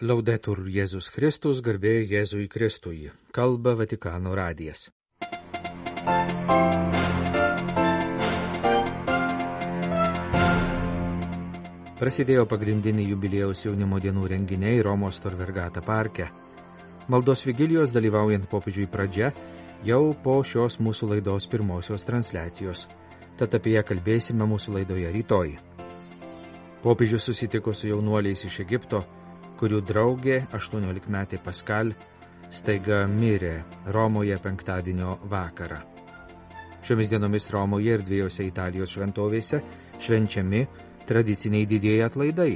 Laudetur Jėzus Kristus, garbė Jėzui Kristui. Kalba Vatikano radijas. Prasidėjo pagrindiniai jubiliejaus jaunimo dienų renginiai Romos Tor Vergata parke. Maldos vigilijos dalyvaujant popiežiui pradžia jau po šios mūsų laidos pirmosios transliacijos. Tad apie ją kalbėsime mūsų laidoje rytoj. Popiežius susitiko su jaunuoliais iš Egipto, kurių draugė 18-metė Paskal staiga mirė Romoje penktadienio vakarą. Šiomis dienomis Romoje ir dviejose Italijos šventovėse švenčiami tradiciniai didieji atlaidai.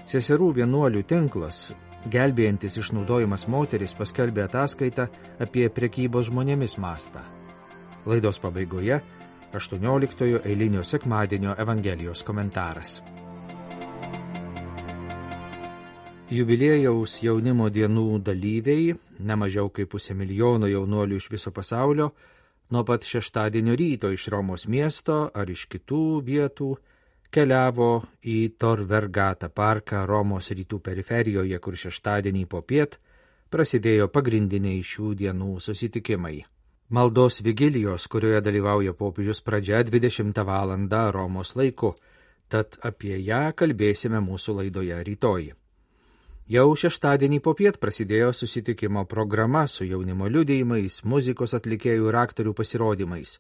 Seserų vienuolių tinklas, gelbėjantis išnaudojimas moteris, paskelbė ataskaitą apie prekybos žmonėmis mastą. Laidos pabaigoje 18-ojo eilinio sekmadienio Evangelijos komentaras. Jubiliejaus jaunimo dienų dalyviai, nemažiau kaip 500 000 jaunuolių iš viso pasaulio, nuo pat šeštadienio ryto iš Romos miesto ar iš kitų vietų keliavo į Tor Vergata parką Romos rytų periferijoje, kur šeštadienį popiet prasidėjo pagrindiniai šių dienų susitikimai. Maldos vigilijos, kurioje dalyvauja popiežius, pradžia 20 val. Romos laiku, tad apie ją kalbėsime mūsų laidoje rytoj. Jau šeštadienį popiet prasidėjo susitikimo programa su jaunimo liudijimais, muzikos atlikėjų ir aktorių pasirodymais.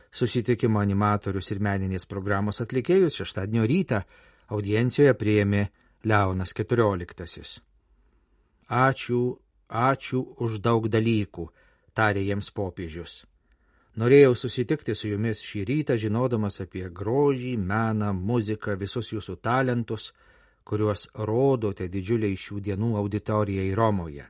Susitikimo animatorius ir meninės programos atlikėjus šeštadienio rytą audiencijoje priėmė Leonas XIV. Ačiū už daug dalykų, tarė jiems popiežius. Norėjau susitikti su jumis šį rytą, žinodamas apie grožį, meną, muziką, visus jūsų talentus, kuriuos rodote didžiuliai šių dienų auditorijai Romoje.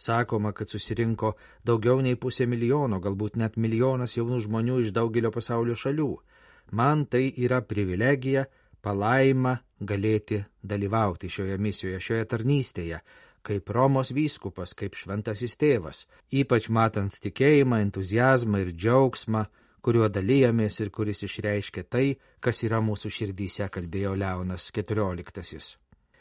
Sakoma, kad susirinko daugiau nei 500 000, galbūt net 1 milijonas jaunų žmonių iš daugelio pasaulio šalių. Man tai yra privilegija, palaima galėti dalyvauti šioje misijoje, šioje tarnystėje, kaip Romos vyskupas, kaip šventasis tėvas, ypač matant tikėjimą, entuziazmą ir džiaugsmą, kuriuo dalyjamės ir kuris išreiškia tai, kas yra mūsų širdyse, kalbėjo Leonas XIV.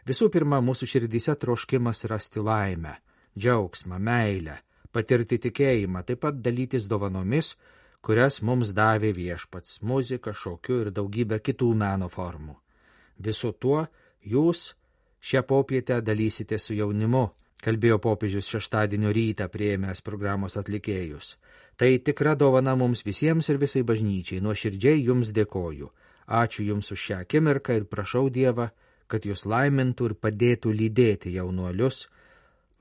Visų pirma, mūsų širdyse troškimas rasti laimę, džiaugsmą, meilę, patirti tikėjimą, taip pat dalytis dovanomis, kurias mums davė viešpats, muzika, šokiu ir daugybė kitų meno formų. Visu tuo jūs šią popietę dalysite su jaunimu, kalbėjo popiežius šeštadienio rytą priėmęs programos atlikėjus. Tai tikra dovana mums visiems ir visai bažnyčiai. Nuoširdžiai jums dėkoju. Ačiū jums už šią akimirką ir prašau Dievą, kad jūs laimintų ir padėtų lydėti jaunuolius,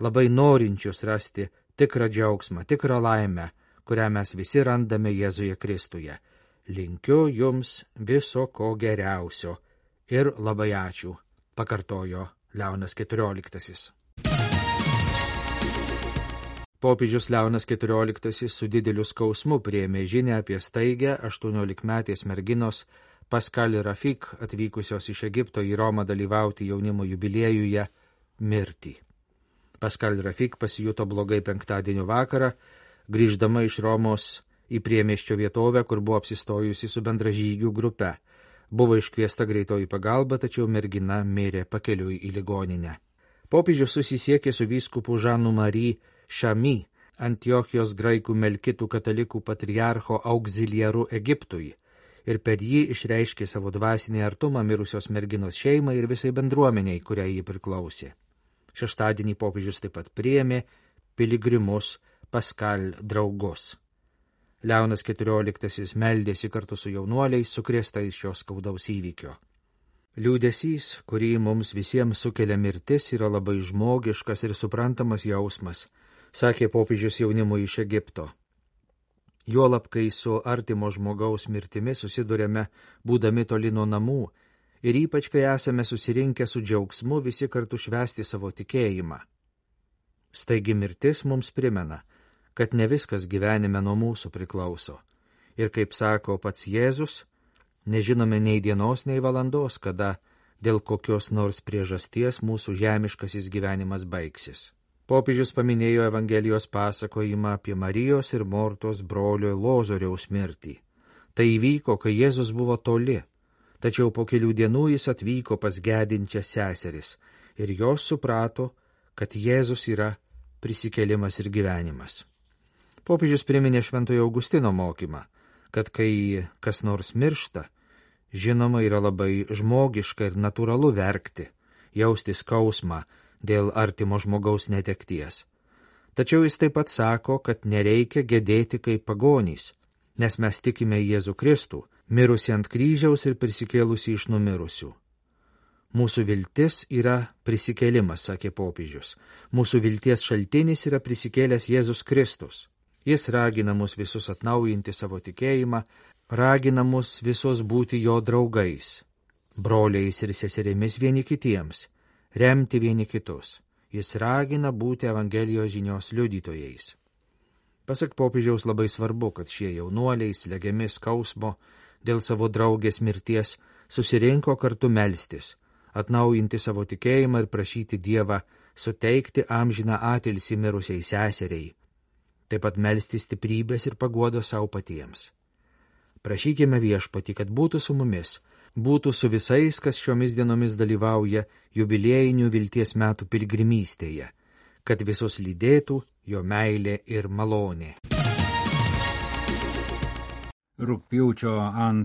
labai norinčius rasti tikrą džiaugsmą, tikrą laimę, kurią mes visi randame Jėzuje Kristuje. Linkiu jums viso ko geriausio ir labai ačiū, pakartojo Leonas XIV. Popiežius Leonas XIV su dideliu skausmu priėmė žinią apie staigę 18-metės merginos Paskal Rafik, atvykusios iš Egipto į Romą dalyvauti jaunimo jubiliejuje, mirtį. Paskal Rafik pasijuto blogai penktadienio vakarą, grįždama iš Romos į priemiesčio vietovę, kur buvo apsistojusi su bendražygių grupe. Buvo iškviesta greitoji pagalba, tačiau mergina mirė pakeliui į ligoninę. Popiežius susisiekė su vyskupu Žanu Marie Šami, Antiochijos graikų melkitų katalikų patriarcho auxiliaru Egiptui, ir per jį išreiškė savo dvasinį artumą mirusios merginos šeimai ir visai bendruomeniai, kuriai jį priklausė. Šeštadienį popiežius taip pat priėmė piligrimus Paskal draugus. Leonas XIV meldėsi kartu su jaunuoliais, sukrėstais šios skaudaus įvykio. Liūdesys, kurį mums visiems sukelia mirtis, yra labai žmogiškas ir suprantamas jausmas, sakė popiežius jaunimui iš Egipto. Juolab, kai su artimo žmogaus mirtimi susidurėme, būdami toli nuo namų, ir ypač, kai esame susirinkę su džiaugsmu visi kartu švęsti savo tikėjimą. Staigi mirtis mums primena, kad ne viskas gyvenime nuo mūsų priklauso. Ir kaip sako pats Jėzus, nežinome nei dienos, nei valandos, kada dėl kokios nors priežasties mūsų žemiškasis gyvenimas baigsis. Popiežius paminėjo Evangelijos pasakojimą apie Marijos ir Mortos brolio Lozoriaus mirtį. Tai įvyko, kai Jėzus buvo toli, tačiau po kelių dienų jis atvyko pas gedinčias seseris ir jos suprato, kad Jėzus yra prisikėlimas ir gyvenimas. Popiežius priminė Šventojo Augustino mokymą, kad kai kas nors miršta, žinoma yra labai žmogiška ir natūralu verkti, jausti skausmą dėl artimo žmogaus netekties. Tačiau jis taip pat sako, kad nereikia gedėti kaip pagonys, nes mes tikime Jėzų Kristų, mirusi ant kryžiaus ir prisikėlusi iš numirusių. Mūsų viltis yra prisikėlimas, sakė popiežius. Mūsų vilties šaltinis yra prisikėlęs Jėzus Kristus. Jis ragina mus visus atnaujinti savo tikėjimą, ragina mus visus būti jo draugais, broliais ir seserimis vieni kitiems, remti vieni kitus. Jis ragina būti Evangelijos žinios liudytojais. Pasak popiežiaus labai svarbu, kad šie jaunuoliai, slegiami skausmo dėl savo draugės mirties, susirinko kartu melstis, atnaujinti savo tikėjimą ir prašyti Dievą suteikti amžiną atilsį mirusiai seseriai, taip pat melstis stiprybės ir paguodos savo patiems. Prašykime Viešpatį, kad būtų su mumis, būtų su visais, kas šiomis dienomis dalyvauja jubiliejinių vilties metų piligrimystėje, kad visus lydėtų jo meilė ir malonė. Rugpjūčio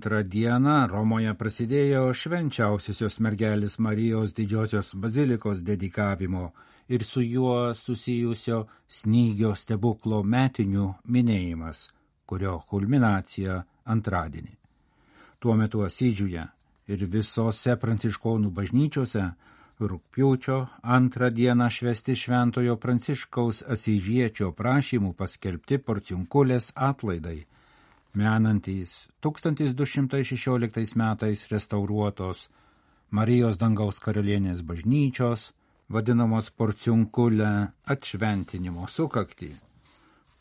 2 dieną Romoje prasidėjo švenčiausiosios mergelės Marijos didžiosios bazilikos dedikavimo ir su juo susijusio snygio stebuklo metinių minėjimas, kurio kulminacija antradienį. Tuo metu Asyžiuje ir visose pranciškonų bažnyčiose rugpjūčio 2 dieną švęsti Šventojo Pranciškaus Asyžiečio prašymų paskelbti Porciunkulės atlaidai, menantys 1216 metais restauruotos Marijos dangaus karalienės bažnyčios, vadinamos Porciunkulė atšventinimo sukaktį.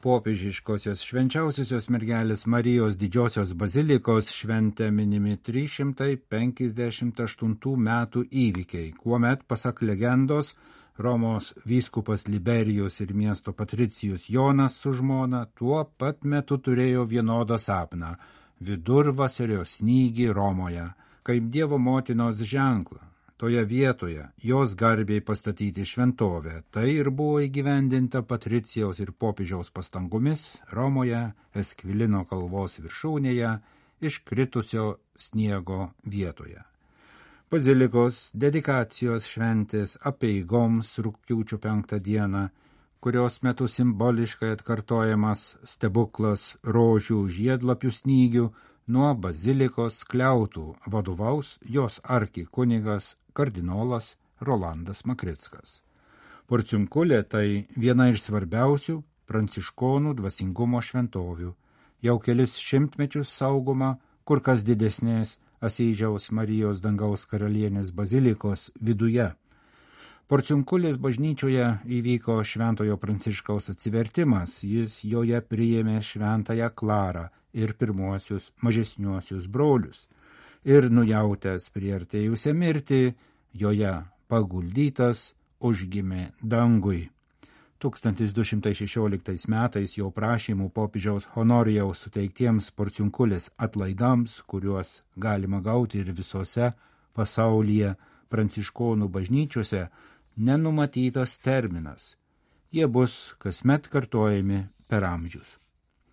Popiežiškosios švenčiausiosios mergelės Marijos didžiosios bazilikos šventė minimi 358 metų įvykiai, kuomet, pasak legendos, Romos vyskupas Liberijus ir miesto patricijus Jonas su žmona tuo pat metu turėjo vienodą sapną – vidurvasario snygį Romoje, kaip Dievo motinos ženklą. Toje vietoje jos garbei pastatyti šventovę. Tai ir buvo įgyvendinta patricijaus ir popiežiaus pastangomis Romoje, Eskvilino kalvos viršūnėje, iškritusio sniego vietoje. Bazilikos dedikacijos šventės apeigoms rugpjūčio 5 dieną, kurios metu simboliškai atkartojamas stebuklas rožių žiedlapių snygių, nuo bazilikos skliautų vadovaus jos arkikunigas kardinolas Rolandas Makrickas. Porciunkulė tai viena iš svarbiausių pranciškonų dvasingumo šventovių, jau kelis šimtmečius saugoma kur kas didesnės Asyžiaus Marijos dangaus karalienės bazilikos viduje. Porciunkulės bažnyčioje įvyko Šventojo Pranciškaus atsivertimas, jis joje priėmė Šventąją Klarą ir pirmuosius mažesniuosius brolius, ir nujautęs priartėjusią mirtį, joje paguldytas užgimė dangui. 1216 metais jo prašymų popiežiaus Honorijaus suteiktiems Porciunkulės atlaidams, kuriuos galima gauti ir visose pasaulyje pranciškonų bažnyčiose, nenumatytas terminas. Jie bus kasmet kartojami per amžius.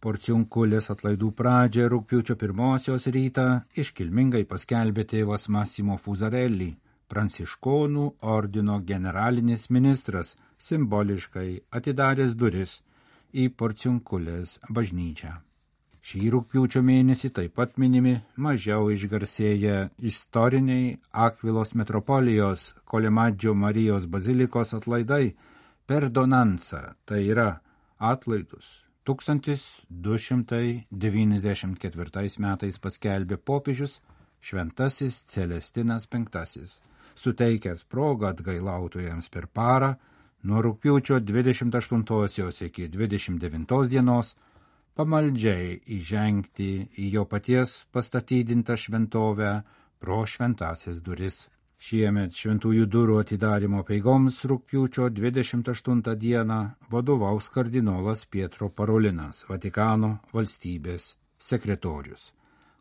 Porciunkulės atlaidų pradžią rugpjūčio 1 rytą iškilmingai paskelbė tėvas Massimo Fusarelli, pranciškonų ordino generalinis ministras, simboliškai atidaręs duris į Porciunkulės bažnyčią. Šį rugpjūčio mėnesį taip pat minimi mažiau išgarsėję istoriniai Akvilos metropolijos Kolemadžio Marijos bazilikos atlaidai perdonanza, tai yra atlaidus 1294 metais paskelbė popiežius Šventasis Celestinas V, suteikęs progą atgailautojams per parą nuo rugpjūčio 28 iki 29 dienos pamaldžiai įžengti į jo paties pastatydintą šventovę pro šventąsias duris. Šiemet šventųjų durų atidarymo apeigoms rugpjūčio 28 dieną vadovaus kardinolas Pietro Parolinas, Vatikano valstybės sekretorius.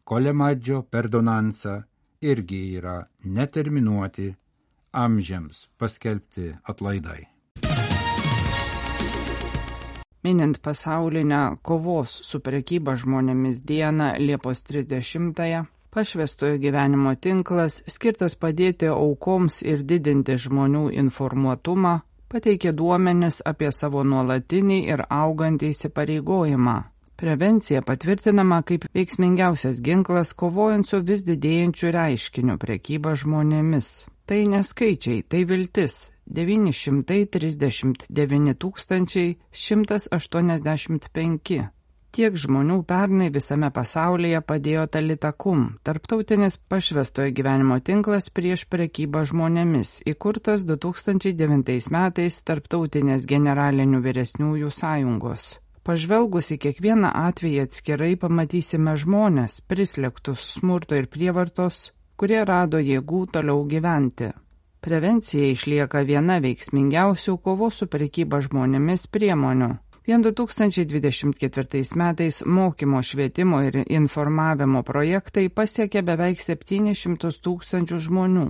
Kolemadžio perdonanza irgi yra neterminuoti amžiams paskelbti atlaidai. Minint pasaulinę kovos su prekyba žmonėmis dieną Liepos 30-ąją, Pašvęstojo gyvenimo tinklas, skirtas padėti aukoms ir didinti žmonių informuotumą, pateikė duomenis apie savo nuolatinį ir augantį įsipareigojimą. Prevencija patvirtinama kaip veiksmingiausias ginklas kovojant su vis didėjančiu reiškiniu prekyba žmonėmis. Tai neskaičiai, tai viltis. 939 185. Tiek žmonių pernai visame pasaulyje padėjo Talitakum, tarptautinis Pašvęstojo gyvenimo tinklas prieš prekybą žmonėmis, įkurtas 2009 metais Tarptautinės generalinių vyresniųjų sąjungos. Pažvelgus į kiekvieną atvejį atskirai pamatysime žmones, prislėgtus smurto ir prievartos, kurie rado jėgų toliau gyventi. Prevencija išlieka viena veiksmingiausių kovos su prekyba žmonėmis priemonių. Vien 2024 metais mokymo, švietimo ir informavimo projektai pasiekė beveik 700 000 žmonių,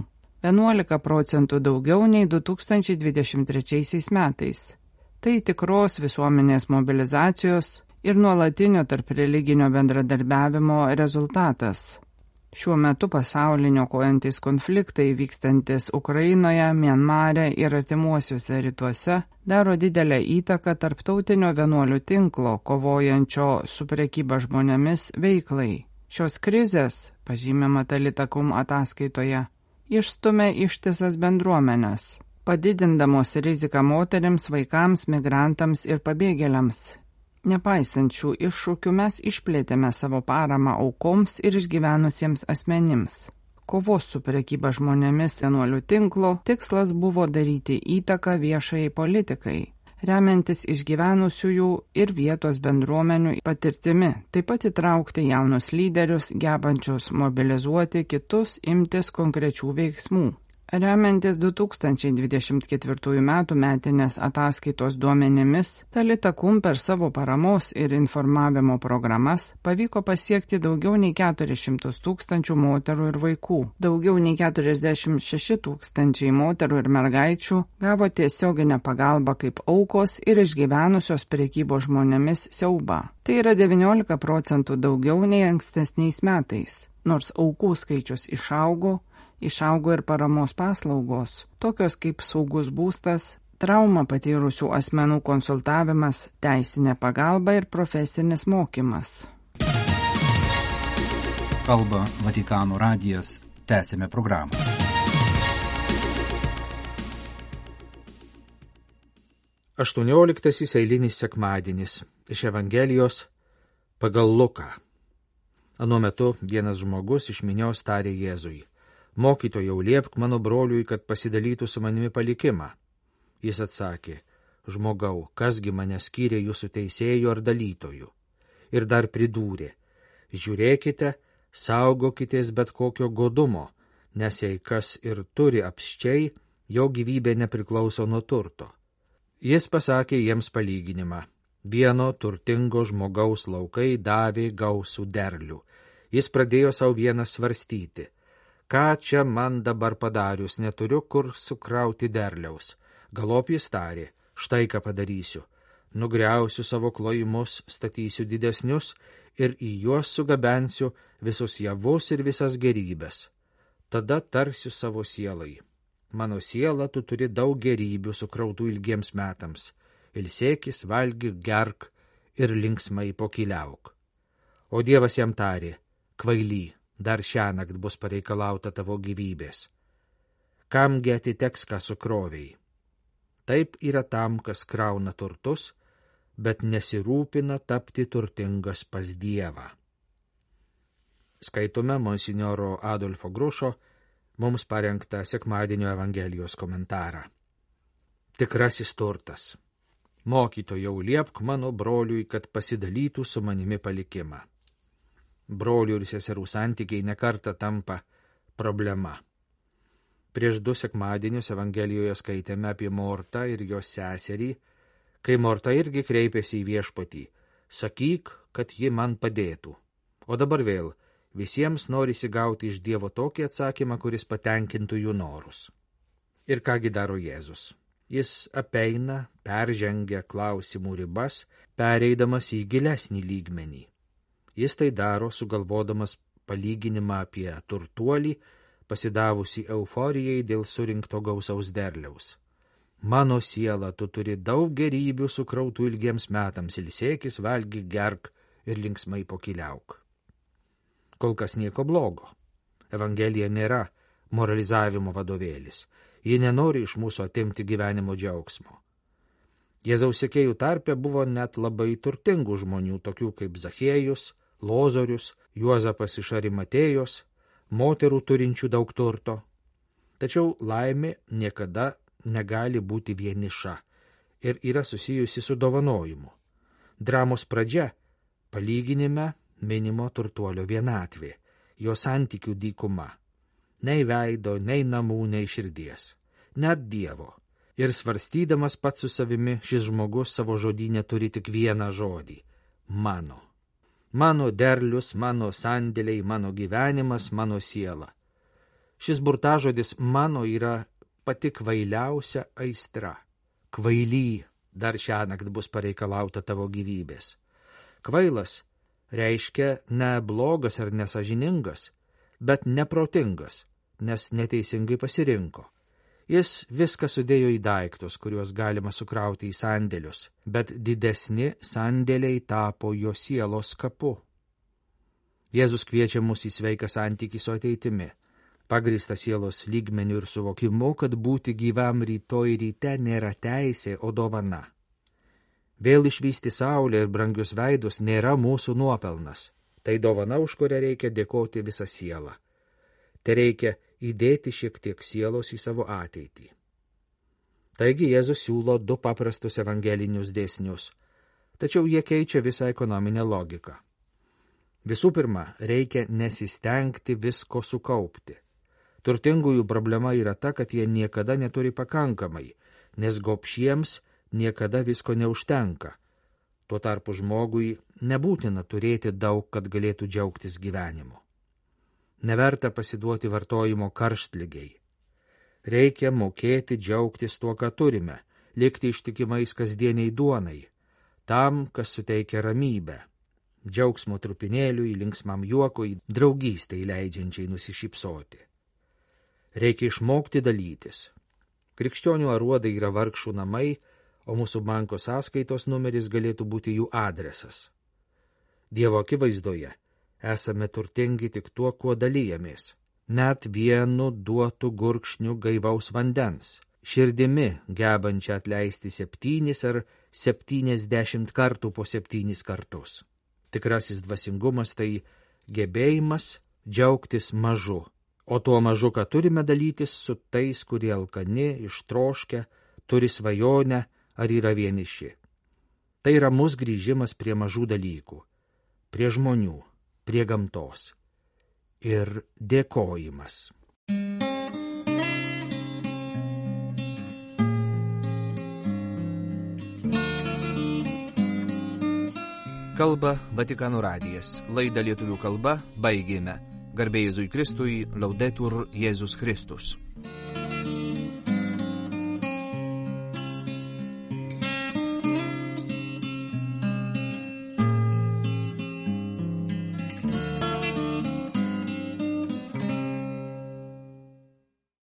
11% daugiau nei 2023 metais. Tai tikros visuomenės mobilizacijos ir nuolatinio tarp religinio bendradarbiavimo rezultatas. Šiuo metu pasaulinio kojantis konfliktai vykstantis Ukrainoje, Mianmare ir artimuosiuose rytuose daro didelę įtaką tarptautinio vienuolių tinklo kovojančio su prekyba žmonėmis veiklai. Šios krizės, pažymima Talitakum ataskaitoje, išstumia ištisas bendruomenes, padidindamos riziką moterims, vaikams, migrantams ir pabėgėliams. Nepaisant šių iššūkių mes išplėtėme savo paramą aukoms ir išgyvenusiems asmenims. Kovos su prekyba žmonėmis vienuolių tinklo tikslas buvo daryti įtaką viešajai politikai, remiantis išgyvenusiųjų ir vietos bendruomenių patirtimi, taip pat įtraukti jaunus lyderius, gebančius mobilizuoti kitus imtis konkrečių veiksmų. Remiantis 2024 metų metinės ataskaitos duomenimis, Talitakum per savo paramos ir informavimo programas pavyko pasiekti daugiau nei 400 000 moterų ir vaikų. Daugiau nei 46 000 moterų ir mergaičių gavo tiesioginę pagalbą kaip aukos ir išgyvenusios prekybos žmonėmis siaubą. Tai yra 19% daugiau nei ankstesniais metais. Nors aukų skaičius išaugo ir paramos paslaugos, tokios kaip saugus būstas, traumą patyrusių asmenų konsultavimas, teisinė pagalba ir profesinis mokymas. Kalba Vatikano radijas, tęsime programą. Aštuonioliktasis eilinis sekmadienis iš Evangelijos pagal Luką. Anuo metu vienas žmogus iš minios tarė Jėzui: Mokytojau, liepk mano broliui, kad pasidalytų su manimi palikimą. Jis atsakė: Žmogau, kasgi mane skyrė jūsų teisėjų ar dalytojų? Ir dar pridūrė: Žiūrėkite, saugokitės bet kokio godumo, nes jei kas ir turi apsčiai, jo gyvybė nepriklauso nuo turto. Jis pasakė jiems palyginimą: Vieno turtingo žmogaus laukai davė gausų derlių. Jis pradėjo savo vieną svarstyti: Ką čia man dabar padarius, neturiu kur sukrauti derliaus. Galop jis tarė: Štai ką padarysiu. Nugriausiu savo klojimus, statysiu didesnius ir į juos sugabensiu visus javus ir visas gerybės. Tada tarsiu savo sielai: Mano siela, tu turi daug gerybių sukrautų ilgiems metams. Ilsėkis, valgyk, gerk ir linksmai pokyliauk. O Dievas jam tarė: Kvaily, dar šiąnakt bus pareikalauta tavo gyvybės. Kamgi atiteks, ką sukrovei? Taip yra tam, kas krauna turtus, bet nesirūpina tapti turtingas pas Dievą. Skaitome monsinjoro Adolfo Grušo mums parengtą sekmadienio Evangelijos komentarą. Tikrasis turtas. Mokytojau, liepk mano broliui, kad pasidalytų su manimi palikimą. Brolių ir seserų santykiai nekartą tampa problema. Prieš 2 sekmadienius Evangelijoje skaitėme apie Mortą ir jos seserį, kai Morta irgi kreipėsi į Viešpatį: Sakyk, kad ji man padėtų. O dabar vėl visiems norisi gauti iš Dievo tokį atsakymą, kuris patenkintų jų norus. Ir kągi daro Jėzus? Jis apeina, peržengia klausimų ribas, pereidamas į gilesnį lygmenį. Jis tai daro sugalvodamas palyginimą apie turtuolį, pasidavusi euforijai dėl surinkto gausaus derliaus. Mano siela, tu turi daug gerybių sukrautų ilgiems metams, ilsėkis, valgyk, gerk ir linksmai pokyliauk. Kol kas nieko blogo. Evangelija nėra moralizavimo vadovėlis. Ji nenori iš mūsų atimti gyvenimo džiaugsmo. Jėzaus sekėjų tarpe buvo net labai turtingų žmonių, tokių kaip Zachiejus, Lozorius, Juozapas iš Arimatėjos, moterų turinčių daug turto. Tačiau laimė niekada negali būti vieniša ir yra susijusi su dovanojimu. Dramos pradžia palyginime minimo turtuolio vienatvė, jo santykių dykuma. Nei veido, nei namų, nei širdies, net Dievo. Ir svarstydamas pats su savimi, šis žmogus savo žodyne turi tik vieną žodį – mano. Mano derlius, mano sandėliai, mano gyvenimas, mano siela. Šis burtažodis mano yra pati kvailiausia aistra. Kvaily, dar šiąnakt bus pareikalauta tavo gyvybės. Kvailas reiškia ne blogas ar nesažiningas, bet neprotingas, nes neteisingai pasirinko. Jis viską sudėjo į daiktus, kuriuos galima sukrauti į sandėlius, bet didesni sandėliai tapo jo sielos kapu. Jėzus kviečia mus į sveiką santykį su ateitimi, pagrįstą sielos lygmeniu ir suvokimu, kad būti gyvam rytoj ryte nėra teisė, o dovana. Vėl išvysti saulę ir brangius veidus nėra mūsų nuopelnas. Tai dovana, už kurią reikia dėkoti visą sielą. Tai reikia įdėti šiek tiek sielos į savo ateitį. Taigi Jėzus siūlo du paprastus evangelinius dėsnius, tačiau jie keičia visą ekonominę logiką. Visų pirma, reikia nesistengti visko sukaupti. Turtingųjų problema yra ta, kad jie niekada neturi pakankamai, nes gobšiems niekada visko neužtenka. Tuo tarpu žmogui nebūtina turėti daug, kad galėtų džiaugtis gyvenimu. Neverta pasiduoti vartojimo karštligiai. Reikia mokėti džiaugtis tuo, ką turime, likti ištikimais kasdieniai duonai, tam, kas suteikia ramybę, džiaugsmo trupinėliui, linksmam juokui, draugystei leidžiančiai nusišypsoti. Reikia išmokti dalytis. Krikščionių aruodai yra vargšų namai, o mūsų banko sąskaitos numeris galėtų būti jų adresas. Dievo akivaizdoje esame turtingi tik tuo, kuo dalyjamės, net vienu duotu gurkšniu gaivaus vandens, širdimi gebančią atleisti 7 ar 70 kartų po 7 kartus. Tikrasis dvasingumas tai gebėjimas džiaugtis mažu, o tuo mažu, ką turime dalytis su tais, kurie alkani, ištroškę, turi svajonę ar yra vieniši. Tai ramus grįžimas prie mažų dalykų, prie žmonių, prie gamtos ir dėkojimas. Kalba Vatikano radijas. Laidą lietuvių kalba baigėme. Garbė Jėzui Kristui, Laudetur Jėzus Kristus.